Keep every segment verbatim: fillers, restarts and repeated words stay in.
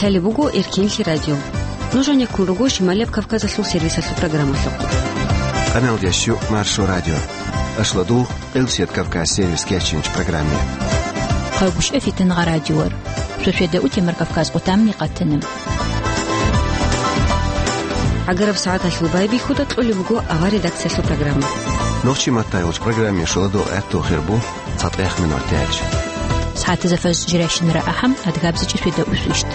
Гьале буго Эркенлъи радио. Нуж гьанеккун руго Шималияб Кавказалъул сервисалъул программалъухъ. Къамелдеш ю Маршо радио. Ашладул, Къилсият Кавказ сервис кечинч программе. Хъавгушев Фитнагъа радиор. Шошведа утемар Кавказ къутамни къатана. ГӀагараб сагӀаталъул байбихьуда кьолеб буго авар редакциялъул программа. Нохчи маттайолч программе шуладо гӀатту хирбу. ЦатӀех минут тяч. СагӀатазда фаз жирайщинара ахӀам, адгабзичӀи свида усвищт.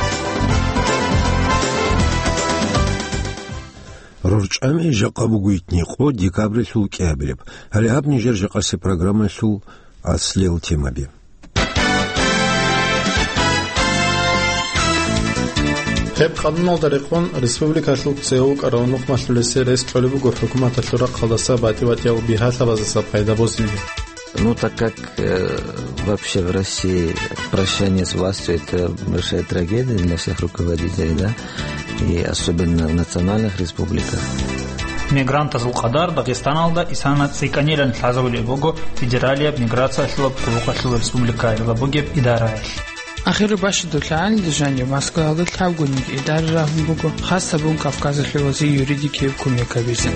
РорчӀами жакъа буго итни къо декабрилъул кӀиабилеб. Гьале гьаб нижер жакъасе программалъул аслел темаби. Гьеб къануналда рекъон республикалъул цевукӀарав нухмалъулесе рес кьолеб буго хӀукуматалъул рахъалдаса батӀи-батӀиял бигьалъабаздаса пайда босизе. Ну, так как, э, вообще в России прощание с властью — это большая трагедия для всех руководителей, да, и особенно в национальных республиках. Мигрантазул къадар Дагъистаналда исана цӀикӀкӀанилан лъазавулеб буго федералияб миграциялъулаб хъулухъалъул республикаялда бугеб идараялъ. Ахиру бащадулъ гьанже жанив Москваялда лъабгониги идара рагьун буго, хас гьабун Кавказалъе вазе юридикияб кумек гьабизе.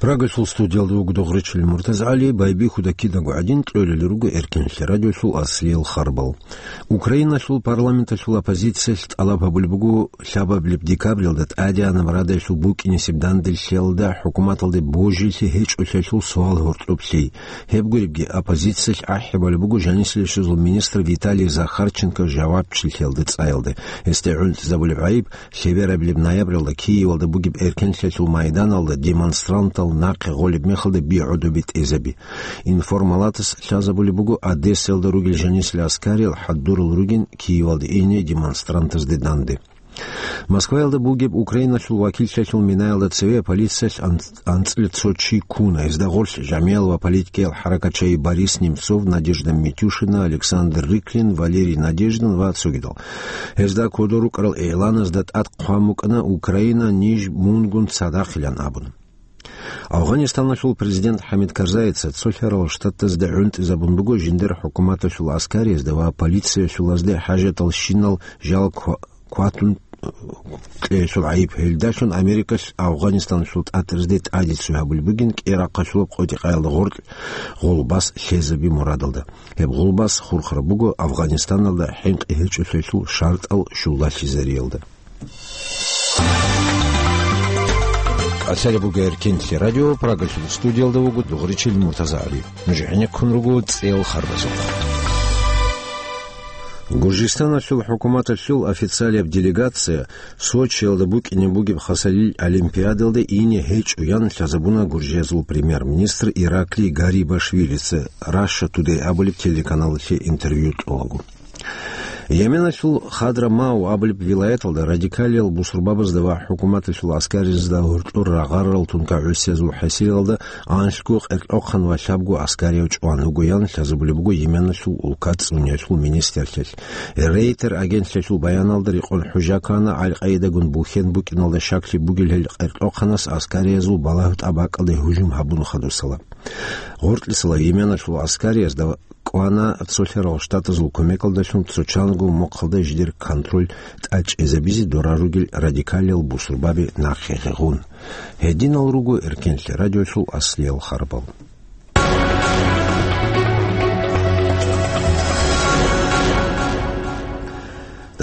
Прагалъул студиялда вуго Дугъричил МуртазагӀали. Байбихьуда кидаго гӀадин кьолел руго Эркенлъи радиолъул аслиял харбал. Украиналъул парламенталъул оппозициялъ тӀалаб гьабулеб буго лъабабилеб декабралда тӀадегӀанаб Радалъул букӀинесеб данделъиялда хӀукуматалде божилъи гьечӀолъиялъул суал гьоркьоб лъей. Гьеб гуребги, оппозициялъ ахӀи балеб буго жанисилищазул министр Виталий Захарченко жавабчилъиялда цӀаялда. Гьесде гӀунтӀизабулеб гӀайиб лъеберабилеб ноябралда Киевалда бугеб эркенлъиялъул майданалда демонстрантал нахъе гъолеб мехалда би гӀодобе тӀезаби. Информалатас лъазабулеб буго, Одессаялда ругел жанисел аскариял хӀадурал ругин Киевалде ине демонстрантазде данде. Москваялда бугеб Украиналъул вакиллъиялъул минаялда цеве полициялъ анц-, анцӀила цо чи ккуна. Гьезда гъорлъ жамиял ва политикиял хӀаракатчи Борис Немцов, Надежда Митюшина, Александр Рыклин, Валерий Надеждин ва цогидал. Гьезда кодор рукӀарал игӀланазда тӀад хъван букӀана: «Украина, ниж мунгун цадахъилан», — абун. Афганистаналъул президент ХӀамид Карзайица цолъарал штатазда гӀунтӀизабун буго жиндир хӀукуматалъул аскариязда ва полициялъулазде хӀажатал щинал жал ква-, кватун кьеялъул гӀайиб. Гьелдалъун Америкалъ Афганистаналъул тӀатӀаразде тӀадицу гьабулеб бугин кӀирахъалъулаб къотӀи-къаялда гъоркь гъулбас лъезаби мурадалда. Гьеб гъулбас хурхараб буго Афганистаналда хӀинкъи гьечӀолъиялъул шартӀал щулалъизариялда. Къасалеб буго Эркенлъи радио, Прагалъул студиялда вуго Дугъричил МуртазагӀали. Нуж гӀенеккун руго цӀел харбазухъ. Гуржистаналъул хӀукуматалъул официалияб делегация Сочиялда букӀине бугеб хасалил олимпиадалда ине гьечӀо, ян лъазабуна Гуржиязул премьер-министр Ираклий Гарибашвилица, Russia Today абулеб телеканалалъе интервью кьолаго. Йеменалъул Хадрамау абулеб вилаяталда радикалиял бусурбабазда ва хӀукуматалъул аскаризда гьоркьор рагъарал тункагӀусиязул хӀасилалда анлъго къеркьохъан ва лъабго аскарияв чӀван вуго, ян лъазабулеб буго Йеменалъул улка цӀуниялъул министрлъиялъ. Рейтер агентлъиялъул баяналда рекъон хӀужа ккана, Аль-Къаидагун бухьен букӀиналда щаклъи бугел гьел къеркьохъанас аскариязул балагьу-тӀабакӀалде гьужум гьабун хадусала. Гъоркьисала Йеменалъул аскариязда кӀвана цолъарал штатазул кумекалдалъун цо чанго мухъалда жидер контроль тӀачӀезабизе дора ругел радикалиял бусурбаби нахъе гъегъун. Гьединал руго Эркенлъи радиолъул аслиял харбал.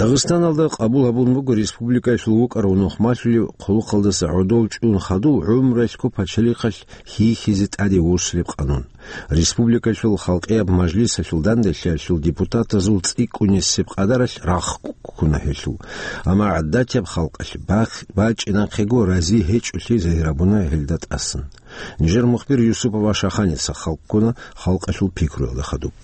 Дагъистаналда къабул гьабун буго республикаялъул вукӀарав нухмалъулев хъулухъалдаса гӀодов чӀун хадув гӀумруялъго пачалихъалъ хьихьизе тӀаде вуссулеб къанун. Республикалъул халкъияб мажлисалъул данделъиялъул депутатазул цӀикӀкӀунесеб къадаралъ рахъ ккуна гьелъул. Амма гӀадатияб халкъалъ бах-, бачӀинахъего рази гьечӀолъи загьир гьабуна гьелда тӀасан. Нижер мухбир Юсупова Шаханица халкъ ккуна халкъалъул пикруялда хадуб.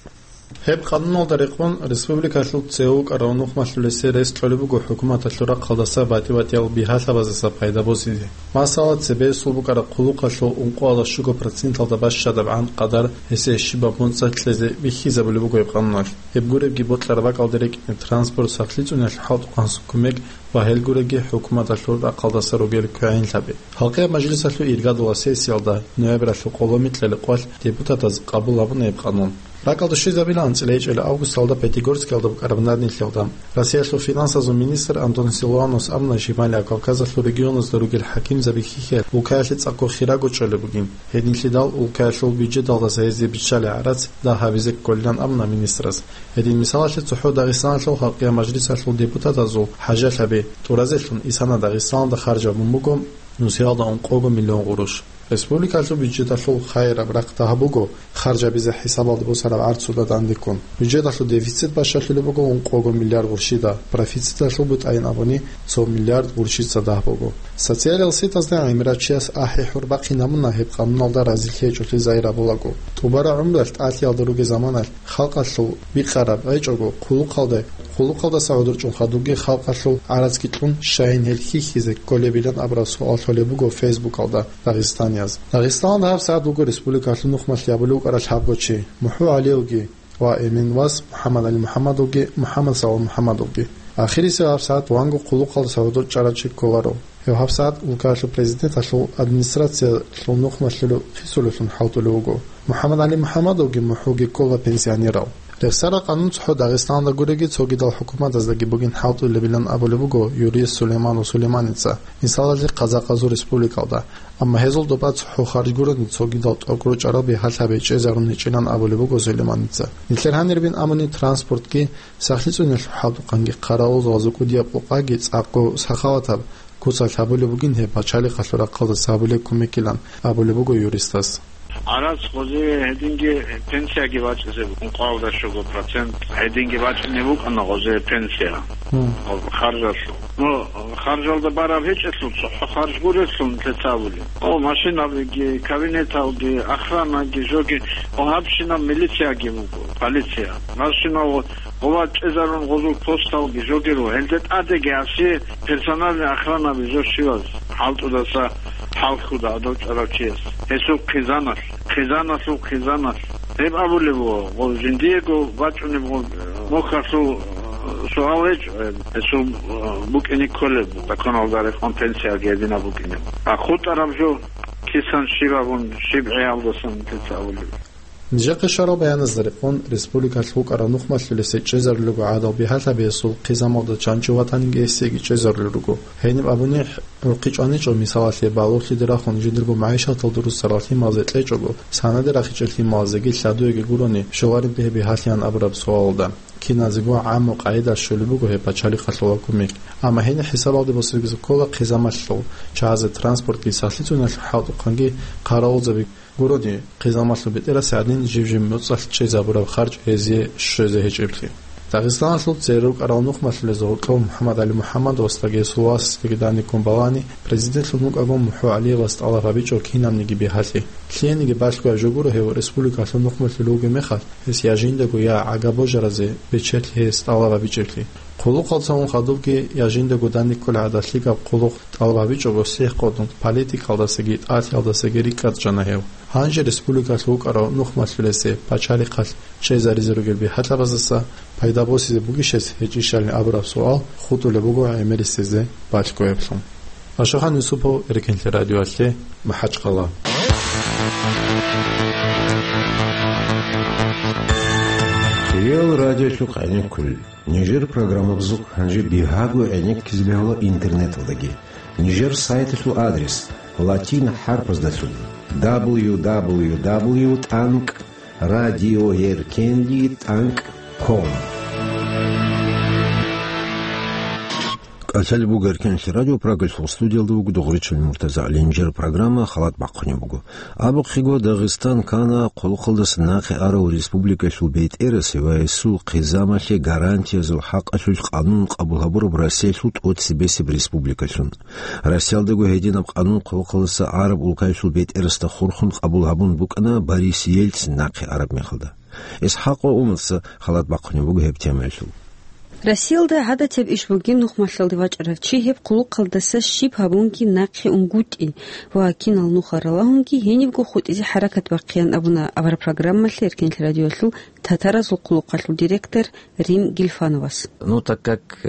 Гьеб къануналда рекъон республикалъул цеве вукӀарав нухмалъулесе рес кьолеб буго хӀукуматалъул рахъалдаса батӀи-батӀиял бигьалъабаздаса пайда босизе. Масала, цебесул букӀараб хъулухъалъул ункъоялда щуго проценталда бащадабгӀан къадар гьесие щибаб моцӀалъ кьезе бихьизабулеб буго гьеб къануналъ. Гьеб гуребги бокьараб бакӀалде рекӀине транспорт, сахлъи цӀуниялъул хӀалтӀухъанлъи кумек ва гьел гуребги хӀукуматалъул рахъалдаса ругел квегӀинлъаби. Халкъияб мажлисалъул иргаялда сессиялда ноябралъул къоло микьали къвалъ депутатаз къабул гьабуна гьеб къанун. БакӀалда щвезабилан анцӀила гьечӀел августалда Пятигорскиялда букӀараб нанилъелда. Россиялъул финансазул министр Антон Силуанос абуна, Шималияб Кавказалъул регионазда ругел хӀакимзаби хьихьиялъ улкаялъе цӀакъго хирого чӀолеб бугин. Гьединлъидал улкаялъул бюджеталдаса гьезие биччалел гӀарац дагь гьабизе кколилан абуна министрас. Гьедин мисалалъе, цохӀо Дагъистаналъул халкъиял мажлисалъул депутатазул хӀажалъаби тӀуразелъун исана Дагъистаналда харж гьабун буго нусиялда ункъого миллион гъурущ. Республикалъул бюджеталъул хайираб рахъ дагь буго, харж гьабизе хӀисабалда босараб гӀарцуда дандеккун. Бюджеталъул дефицит бащалъулеб буго ункъого миллиард гъурщида, профициталъул бутӀайин абуни цо миллиард гъурщица дагь буго. Социалияб сетазда гӀемерав чияс ахӀи-хӀур бахъин гьабуна гьеб къануналда разилъи гьечӀолъи загьир гьабулаго. ТӀубараб гӀумруялъ тӀалъиялда ругел заманалъ халкъалъул бикъараб гьечӀого хъулухъалда, хъулухъалдаса гӀодор чӀун хадубги халкъалъул гӀарацги кьун, щайин гьел хьихьизе кколебилан абураб суал лъолеб буго Фейсбукалда дагъистанияз. Дагъистаналда гьабсагӀат вуго республикалъул нухмалъи абулев вукӀарал лъабго чи, МухӀу ГӀалиевги ва Эмин вас МухӀаммад ГӀали МухӀаммадовги, МухӀаммад Савал МухӀаммадовги. Ахирисев гьабсагӀат ванго хъулухъалдаса гӀодор чӀарав чи кколаро. Гьев гьабсагӀат улкаялъул президенталъул администрациялъул нухмалъулев хисулевлъун хӀалтӀулев вуго. МухӀаммад ГӀали МухӀаммадовги МухӀуги ккола пенсионерал. Рехсарал къанун цохӀо Дагъистаналда гуреги цогидал хӀукуматаздаги бугин хӀалтӀулебилан абулеб буго юрист Сулейманов Сулейманица, мисалалъе, Къазахъазул республикалда. Амма гьезул тӀубаца цохӀо харж гурони цогидал тӀокӀ ручӀарал бигьалъаби чӀезарун гьечӀилан абулеб буго Сулейманица. Нилъер гьанирбин абуни транспортги, сахлъи цӀуниялъул хӀалтӀухъанги, хъаравулзабазул кӀудияб къокъаги цӀакъго сахаватаб куцалъ гьабулеб бугин гьеб пачалихъалъул рахъалдаса гьабулеб кумекилан абулеб буго юристас. Гьараз гъозие гьединги пенсияги бачӀизе букӀун, къоялда щуго процент гьединги бачӀине букӀана гъозие пенсия. Гьун. Гъоб харжалъул. Ну, харжалда бараб гьечӀелъул цохӀо харж гурелъул нилъеца абулеб. О, машинабиги, кабинеталги, охранаги, жоги, о, гьабщинаб милицияги буго, полиция. Гьабщинаб гъова чӀезарун гъозул посталги, жоги руго. Гьелде тӀадеги гьасие персональный охранаби жо щиваз хӀалтӀудаса хӀалхьуда гьадав чӀарав чияс. Гьесул хъизаналъ, хъизаналъул хъизаналъ. Гьеб абулеб буго, гъо, жиндиего бачӀунеб гъо, мухьалъул, э, суал гьечӀо гьеб. Гьесул, э, букӀине кколеб, законалда рекъон пенсияги гьединаб букӀинеб. А хутӀараб жо кисан щиб абун, щиб гӀиялдасан нилъеца абулеб. Нижехъе щварал баяназда рекъон, республикалъ вукӀарав нухмалъулесе чӀезарулего гӀадал бигьалъабиялъул хъизамалда чанчӀо ватаниги гьесиеги чӀезарулел руго. Гьениб абуни, гӀурхъи чӀваничӀо, мисалалъе, балугълъиде рахун жиндирго магӀишаталда руссарал лъималазе кьечӀого, санаде рахичӀел лъималазеги лъадуеги гурони, щолареб гьеб бигьалъиян абураб суалалда. Киназего гӀамму къагӀида щолеб буго гьеб пачалихъалъула кумек. Амма гьениб хӀисабалде босизе ккола хъизамалъул, чагӀазе транспортги, сахлъи цӀуниялъул хӀалтӀухъанги, хъаравулзаби гурони, хъизамалъул бетӀерас гӀадин жиб-жиб моцӀалъ чӀезабураб харж гьезие щвезе гьечӀеблъи. Дагъистаналъул цере рукӀарал нухмалъулезул гьоркьов МухӀаммад ГӀали МухӀаммадовасдаги гьесул васасдаги даниккун балани, президентлъун вукӀаго МухӀу ГӀалиевас тӀалаб гьабичӀо кинабниги бигьалъи. Лъиениги балъгояб жо гуро гьев республикалъул нухмалъулев вугеб мехалъ, гьес я жиндаго, я гӀага божаразе бечелъи гьес тӀалаб гьабичӀеблъи. Хъулухъалцун хадубги я жиндаго даниккул гӀадат лъикӀаб хъулухъ тӀалаб гьабичӀого сихӀ къотӀун политикалдасаги тӀалъиялдасаги рикӀкӀад чӀана гьев. Гьанже республикалъ вукӀарав нухмалъулесе пачалихъалъ чӀезаризе ругел бигьалъабаздаса пайда босизе бугищ гьес гьечӀищали абураб суал хутӀулеб буго гӀемерисезе балъгояблъун. Ашахан Юсупов, Эркенлъи радиоялъе, МахӀачхъала. Реал радиолъухъ гӀенеккулел. Нижер программабазухъ гьанже бигьаго гӀенеккизе бегьула интернеталдаги. Нижер сайталъул адрес латин хӀарпаздалъун: дабл ю дабл ю дабл ю тӀанкӀ радио еркенлъи тӀанкӀ ком. КӀалъалеб буго Эркенлъи радио, Прагалъул студиялда вуго Дугъричил МуртазагӀли. Нижер программа халат бахъунеб буго. Абухъего, Дагъистан ккана хъулухъалдаса нахъе арав республикалъул бетӀерасе ва гьесул хъизамалъе гарантиязул хӀакъалъулъ къанун къабул гьабураб Россиялъул тӀоцебесеб республикалъун. Россиялдаго гьединаб къанун хъулухъалдаса араб улкаялъул бетӀерасда хурхун къабул гьабун букӀана Борис Ельцин нахъе араб мехалда. ИсхӀакъ Умарца халат бахъунеб буго гьеб темаялъул. Россиялда гӀадатияб иш бугин нухмалъалде вачӀарав чи гьеб хъулухъалдаса щиб гьабунги нахъе унгутӀи ва кинал нуха ралагьунги гьенибго хутӀизе хӀаракат бахъеян абуна аварагпрограммалъе Эркенлъи радиоялъул татаразул хъулухъалъул директор Рим Гильфановас. Ну, так как, э,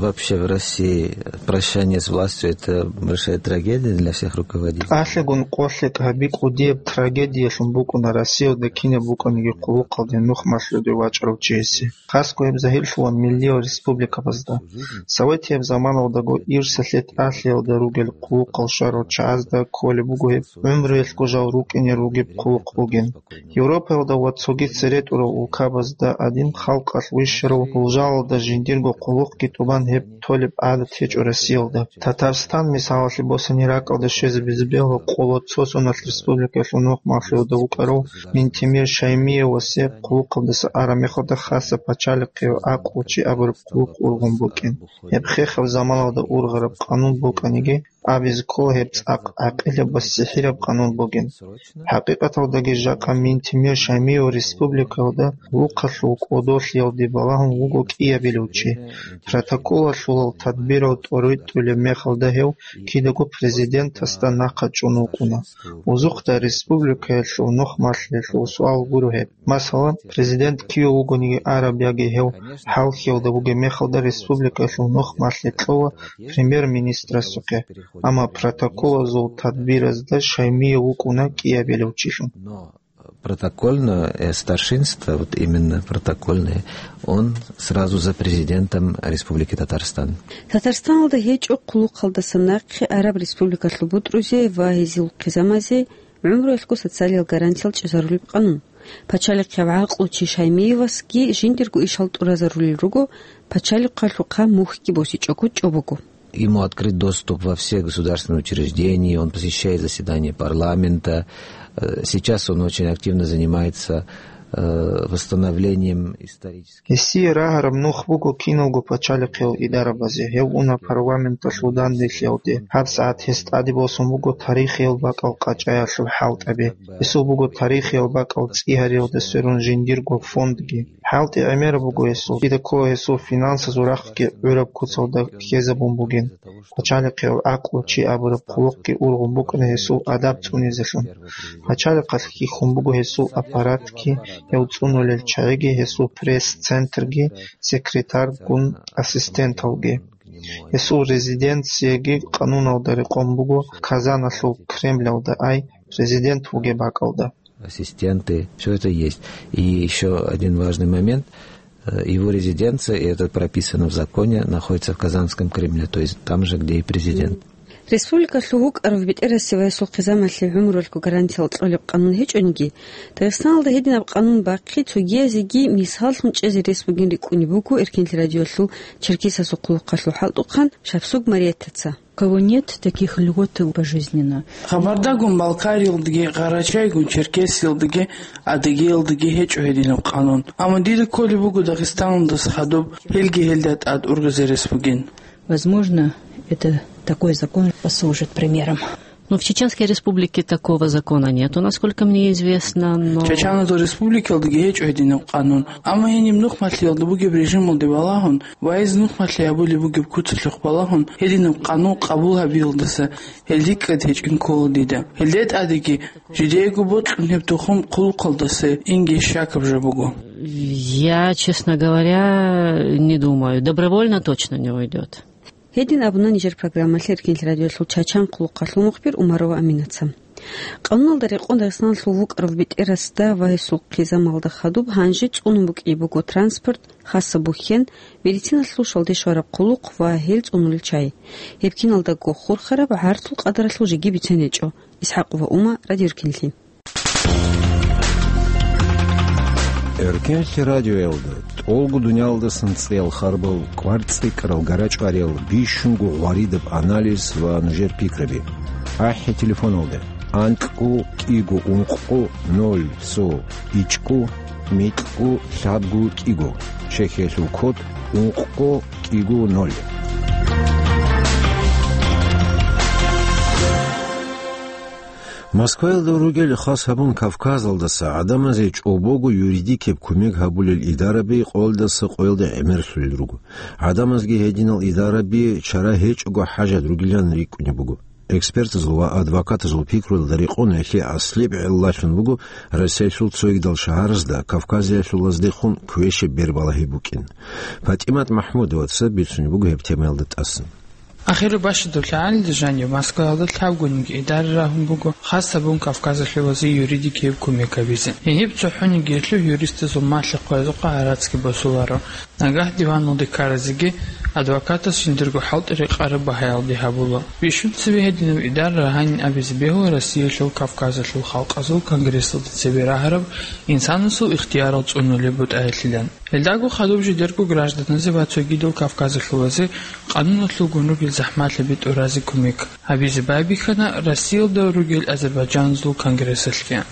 вообще в России прощание с властью — это большая трагедия для всех руководителей. ТӀалъигун къолъи гьаби кӀудияб трагедиялъун букӀуна Россиялда кинаб букӀаниги хъулухъалде нухмалъуде вачӀарав чиясе. Хасго гьеб загьирлъула миллиял республикабазда. Советияб заманалдаго ирсалъе тӀалъиялда ругел хъулухъал щварал чагӀазда кколеб буго гьеб гӀумруялъго жал рукӀине ругеб хъулухъ бугин. Европаялда ва цоги цере тӀурал улкабазда гӀадин халкъалъ вищарав гьул жалалда жиндирго хъулухъги тӀубан гьеб толеб гӀадат гьечӀо Россиялда. Татарстан, мисалалъе, босани ракӀалде щвезе безе бегьула къоло цо соналъ республикаялъул нухмалъуялда вукӀарав Минтимир Шаймиевасе хъулухъалдаса араб мехалда хасаб пачалихъе гӀакълу чи абураб хъулухъ ургъун букӀин. Гьеб хехаб заманалда ургъараб къанун букӀаниги, абизе ккола гьеб цӀакъ гӀакъилаб ва сихӀираб къанун бугин. ХӀакъикъаталдаги жакъа Минтимир Шаймиев республикаялда хъулухъалъул кӀодолъиялде балагьун вуго кӀиабилев чи. Протоколалъулал тадбирал тӀоритӀулеб мехалда гьев кидаго президентасда нахъа чӀун вукӀуна. Узухъда республикаялъул нухмалъиялъул суал гуро гьеб. Масала, президент киве вугониги араб яги гьев хӀалхьиялда бугеб мехалда республикаялъул нухмалъи кьола премьер-министрасухъе, амма протоколазул тадбиразда Шаймиев вукӀуна кӀиабилев чилъун. Но протокольное, э, старшинство, вот именно протокольное, он сразу за президентом Республики Татарстан. Татарстаналда гьечӀо хъулухъалдаса нахъе араб республикалъул бутӀрузе ва гьезул хъизамазе гӀумруялъго социалиял гарантиял чӀезарулеб къанун. Пачалихъав гӀакълу чи Шаймиевасги жиндирго ишал тӀуразарулел руго, пачалихъалъухъа мухьги босичӀого чӀобого. Ему открыт доступ во все государственные учреждения, он посещает заседания парламента. Э, сейчас он очень активно занимается, э, восстановлением исторических. Гьесие рагьараб нух буго киналго пачалихъиял идарабазе. Гьев уна парламенталъул данделъиялде. ГьабсагӀат гьес тӀаде босун буго тарихиял бакӀал къачӀаялъул хӀалтӀаби. Гьесул буго тарихиял бакӀал цӀигьариялда сверун жиндирго фондги. ХӀалтӀи гӀемераб буго гьесул. Кидаго гьесул финансазул рахъги гӀураб куцалда ккезабун бугин. Пачалихъиял гӀакълу чи абураб хъулухъги ургъун букӀана гьесул адаб цӀунизелъун. Пачалихъалъ хьихьун буго гьесул аппаратги, гьев цӀунулел чагӀиги, гьесул пресс-центрги, секретаргун ассистенталги. Гьесул резиденцияги къануналда рекъон буго Казаналъул Кремлялда, ай, президент вугеб бакӀалда. Ассистенты, всё это есть. И ещё один важный момент. Э, его резиденция, и это прописано в законе, находится в Казанском Кремле, то есть там же, где и президент. Республикалъул вукӀарав бетӀерасе ва гьесул хъизамалъе гӀумруялъго гарантиял кьолеб къанун гьечӀониги, Дагъистаналда гьединаб къанун бахъи цогиязеги мисаллъун чӀезе рес бугин рикӀкӀунеб буго Эркенлъи радиолъул Черкесасул хъулухъалъул хӀалтӀухъан Шапсуг Мариеттаца. У кого нет таких льгот пожизненно. Кабардагун-Балкариялдаги, Къарачайгун-Черкесиялдаги, Адыгеялдаги гьечӀо гьединаб къанун. Амма дида кколеб буго Дагъистаналдаса хадуб, гьелги гьелда тӀад ургъизе рес бугин. Возможно, это, такой закон послужит примером. Ну, в Чеченской Республике такого закона нету, насколько мне известно, но Чеченской Республикалдаги гьечӀо гьединаб къанун. Амма гьениб нухмалъиялда бугеб режималде балагьун ва гьез нухмалъи гьабулеб бугеб куцалъухъ балагьун, гьединаб къанун къабул гьабиялдаса гьел рикӀкӀад гьечӀин ккола дида. Гьелде тӀадеги жидеего бокьун гьеб тухум хъулухъалдаса инги щакаб жо буго. Я, честно говоря, не думаю. Добровольно точно не уйдёт. Гьедин абуна нижер программалъе Эркенлъи радиолъул Чачан хъулухъалъул мухбир Умарова Аминаца. Къануналда рекъон Дагъистаналъул вукӀарав бетӀерасда ва гьесул хъизамалда хадуб гьанже цӀунун букӀине буго транспорт, хасаб бухьен, медициналъул шалде щвараб хъулухъ ва гьел цӀунулел чагӀи. Гьеб киналдаго хурхараб гӀарцул къадаралъул жеги бицен гьечӀо. Исхьакъова Ума, Радио Эркенлъи. Эркенлъи радиоялда тӀолго дуниялдасан цӀеял харбал, кӀвар цӀикӀкӀарал гарачӀвариял бищунго гъваридаб анализ ва нужер пикраби. АхӀи телефоналда: анкьго кӀиго ункъго ноль цо ичӀго микьго лъабго кӀиго, чехиялъул код ункъго кӀиго ноль. Москваялда ругел хас гьабун Кавказалдаса гӀадамазе чӀобого юридикеб кумек гьабулел идараби къоялдаса къоялде гӀемерлъулел руго. ГӀадамазги гьединал идараби чара гьечӀого хӀажат ругилан рикӀкӀунеб буго. Экспертазул ва адвокатазул пикруялда рекъон гьелъие аслияб гӀиллалъун буго Россиялъул цогидал шагьаразда Кавказиялъулаздехун квешаб бер балагьи букӀин. ПатӀимат МахӀмудоваца бицунеб буго гьеб темаялда тӀасан. Ахираб бащадаб лъагӀалилда жаниб Москваялда лъабгониги идара рагьун буго, хас гьабун Кавказалъулазе юридикияб кумек гьабизе. Гьениб цохӀонигиялъул юристазул малъа-хъваязухъа гӀарацги босуларо. Нагагь диваналде ккаразеги адвокатас жиндирго хӀалтӀи рекъараб багьаялде гьабула. Бищун цебе гьединаб идара рагьанин абизе бегьула Россиялъул Кавказалъул халкъазул конгрессалда цебе рагьараб инсанасул ихтиярал цӀунулеб бутӀаялъилан. Гьелдаго хадуб жидерго гражданазе ва цогидал кавказалъулазе къануналъулгун ругел захӀмалъаби тӀуразе кумек гьабизе байбихьана Россиялда ругел азербайджаназул конгрессалъги.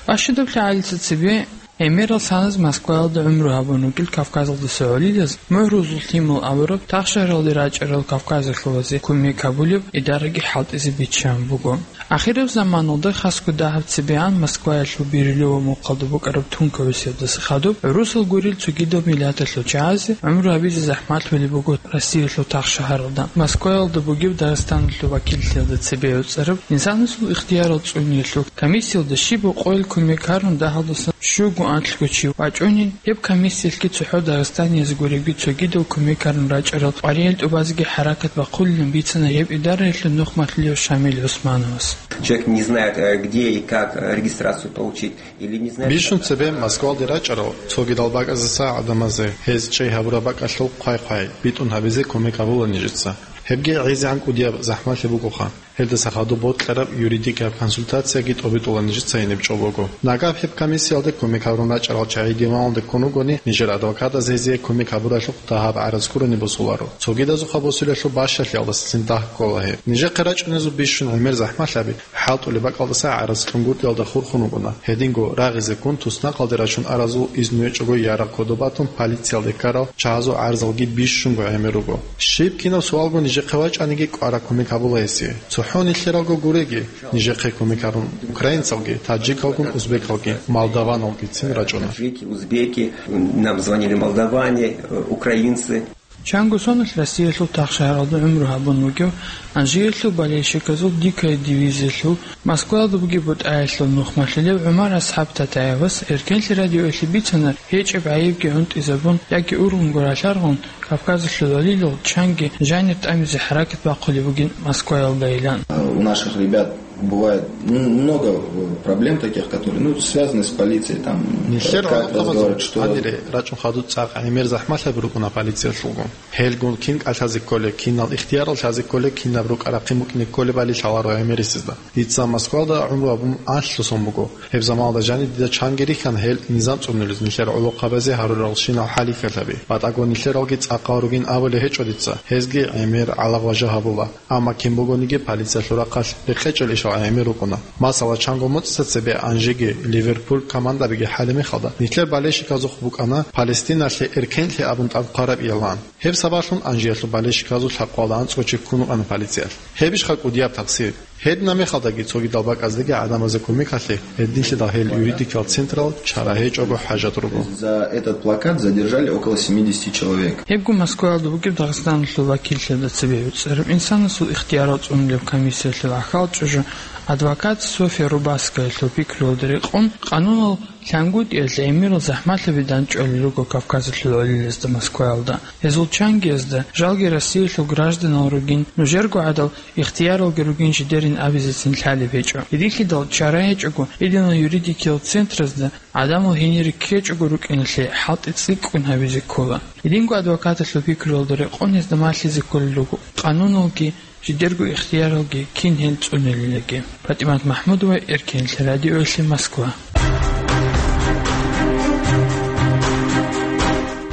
Бащадаб лъагӀалица цебе гӀемерал саназ Москваялда гӀумру гьабун ругел Кавказалдаса гӀолилаз МухӀрузул Лъимал абураб тахшагьаралде рачӀарал кавказалъулазе кумек гьабулеб идараги хӀалтӀизе биччан буго. Ахираб заманалда хасго дагьаб цебегӀан Москваялъул Бирюлево мухъалда букӀараб тункабасиялдаса хадуб гӀурусал гурел цогидал миллаталъул чагӀазе гӀумру гьабизе захӀмалъулеб буго Россиялъул тахшагьаралда. Москваялда бугеб Дагъистаналъул вакиллъиялда цебе гӀуцӀараб инсанасул ихтиярал цӀуниялъул комиссиялда щиб гьукъуял кумек гьарун дагьалдасан щуго анлъго чи вачӀунин, гьеб комиссиялъги цохӀо дагъистаниязги гуребги цогидал кумек гьарун рачӀарал къваригӀел тӀубазеги хӀаракат бахъулилан бицана гьеб идараялъул нухмалъулев Шамил ГӀусмановас. Человек не знает, э, где и как, э, регистрацию получить, или не знает, Бищун как цебе Москвалде рачӀарал цогидал бакӀаздаса гӀадамазе гьез чӀей гьабураб бакӀалъул хъвай-хъвай битӀун гьабизе кумек гьабула нижеца. Гьебги гӀезегӀан кӀудияб захӀмалъи бугоха. Гьелдаса хадуб бокьараб юридикияб консультацияги тӀобитӀула нижеца гьениб чӀобого. Нагагь гьеб комиссиялде кумек гьабурун рачӀарал чагӀи диваналде ккун ругони, нижер адвокатаз гьезие кумек гьабуралъухъ дагьаб гӀараз ккурани босуларо. Цогидазухъа босулелъул бащалъиялдаса цин дагь ккола гьеб. Нижехъе рачӀунезул бищун гӀемер захӀмалъаби хӀалтӀулеб бакӀалдаса гӀараз кьунгутӀиялда хурхун вукӀуна. Гьединго рагъизеккун туснакъалде рачун аразул изну гьечӀого ярагъ кодоб батун полициялде ккарал чагӀазул гӀарзалги бищунго гӀемер руго. Щиб кинаб суалго нижехъе вачӀаниги кӀвараб кумек гьабула гьесие. ЦохӀо нилъералго гуреги, нижехъе кумек гьарун украинцалги, таджикалгун узбекалги, молдаваналгицин рачӀуна. Таджики, узбеки, нам звонили молдаване, э, украинцы. Чанго соналъ Россиялъул тахшагьаралда гӀумру гьабун вугев Анжиялъул болельщиказул «Дикая дивизиялъул» Москвалда бугеб бутӀаялъул нухмалъулев ГӀумар АсхӀаб Татаевас Эркенлъи радиоялъе бицана, гьечӀеб гӀайибги гӀунтӀизабун яги ургъунго ралъаргъун, Кавказалъул валилал чанги жанир тӀамизе хӀаракат бахъулеб бугин Москваялдайилан. У наших ребят бывает, ну, много, э, проблем таких, которые, ну, связаны с полицией, там, э, Нилъер как гӀолохъабазул разговаривать, что гьанире рачӀун хадуб цӀакъ гӀемер захӀмалъаби рукӀуна полициялъулгун. Гьелгун кин кӀалъазе кколеб, кинал ихтиярал лъазе кколеб, кинаб рукӀа-рахъин букӀине кколебали лъаларо гӀемерисезда. Дица Москвалда гӀумру гьабун анлъго сон буго. Гьеб заманалда жаниб дида чанги рихьана гьел низам цӀунулез нилъер гӀолохъабазе гьаруралщинал хӀалихьалъаби. БатӀаго нилъералги цӀакъал ругин абулеб гьечӀо дица, гьезги гӀемер гӀалагъважа гьабула. Амма кин бугониги полициялъул рахъалъ рекъечӀел ишал гӀемер рукӀуна. Масала, чанго моцӀица цебе Анжиги Ливерпуль командабиги хӀалеб мехалда, нилъер болельщиказухъ букӀана Палестиналъе Эркенлъи абун тӀад хъвараб иялан. Гьеб сабаблъун Анжиялъул болельщиказул лъабкъоялда анцӀго чи ккун вукӀана полициялъ. Гьебищха кӀудияб такъсир? Гьединаб мехалдаги цогидал бакӀаздеги гӀадамазе кумекалъе гьединлъидал гьел юридикал централ чара гьечӀого хӀажат руго. За этот плакат задержали около семидесяти человек. Гьебго Москваялда бугеб Дагъистаналъул вакиллъиялда цебе гӀуцӀараб инсанасул ихтиярал цӀунулеб комиссиялъул ахӀал чӀужу адвокат Софья Рубаскаялъул пикруялда рекъон, къанунал лъангутӀиялъ гӀемерал захӀмалъаби дандчӀвалел руго Кавказалъул гӀолилазда Москваялда. Гьезул чангиязда, жалги Россиялъул гражданал ругин, нужерго гӀадал ихтияралги ругин жидерин абизецин лъалеб гьечӀо. Гьединлъидал чара гьечӀого, гьединал юридикиял центразда гӀадамал гьенире ккечӀого рукӀиналъе хӀалтӀи цӀикӀкӀун гьабизе ккола. Гьединго адвокаталъул пикруялда рекъон гьезда малъизе кколел руго къануналги, жидерго ихтияралги кин гьел цӀунилилаги. ПатӀимат МахӀмудова, Эркенлъи радиоялъе, Москва.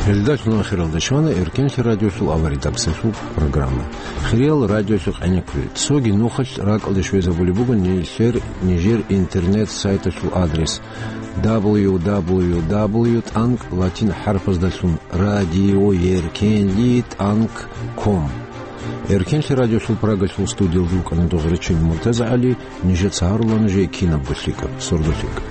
Гьелдалъун ахиралда щвана Эркенлъи радиолъул аваридаксалъул программа. Хириял радиолъухъ гӀенеккуре, цоги нухалъ ракӀалде щвезабулеб буго нилъер нижер интернет-сайталъул адрес: дабл ю дабл ю дабл ю тӀанкӀ латин хӀарпаздалъун радиоеркенлъи тӀанкӀ ком. Эркенлъи радиолъул Прагалъул студиялда вукӀана дозрачун МуртазагӀали, нижеца гьарула нужее кинабго лъикӀаб, сордо лъикӀаб.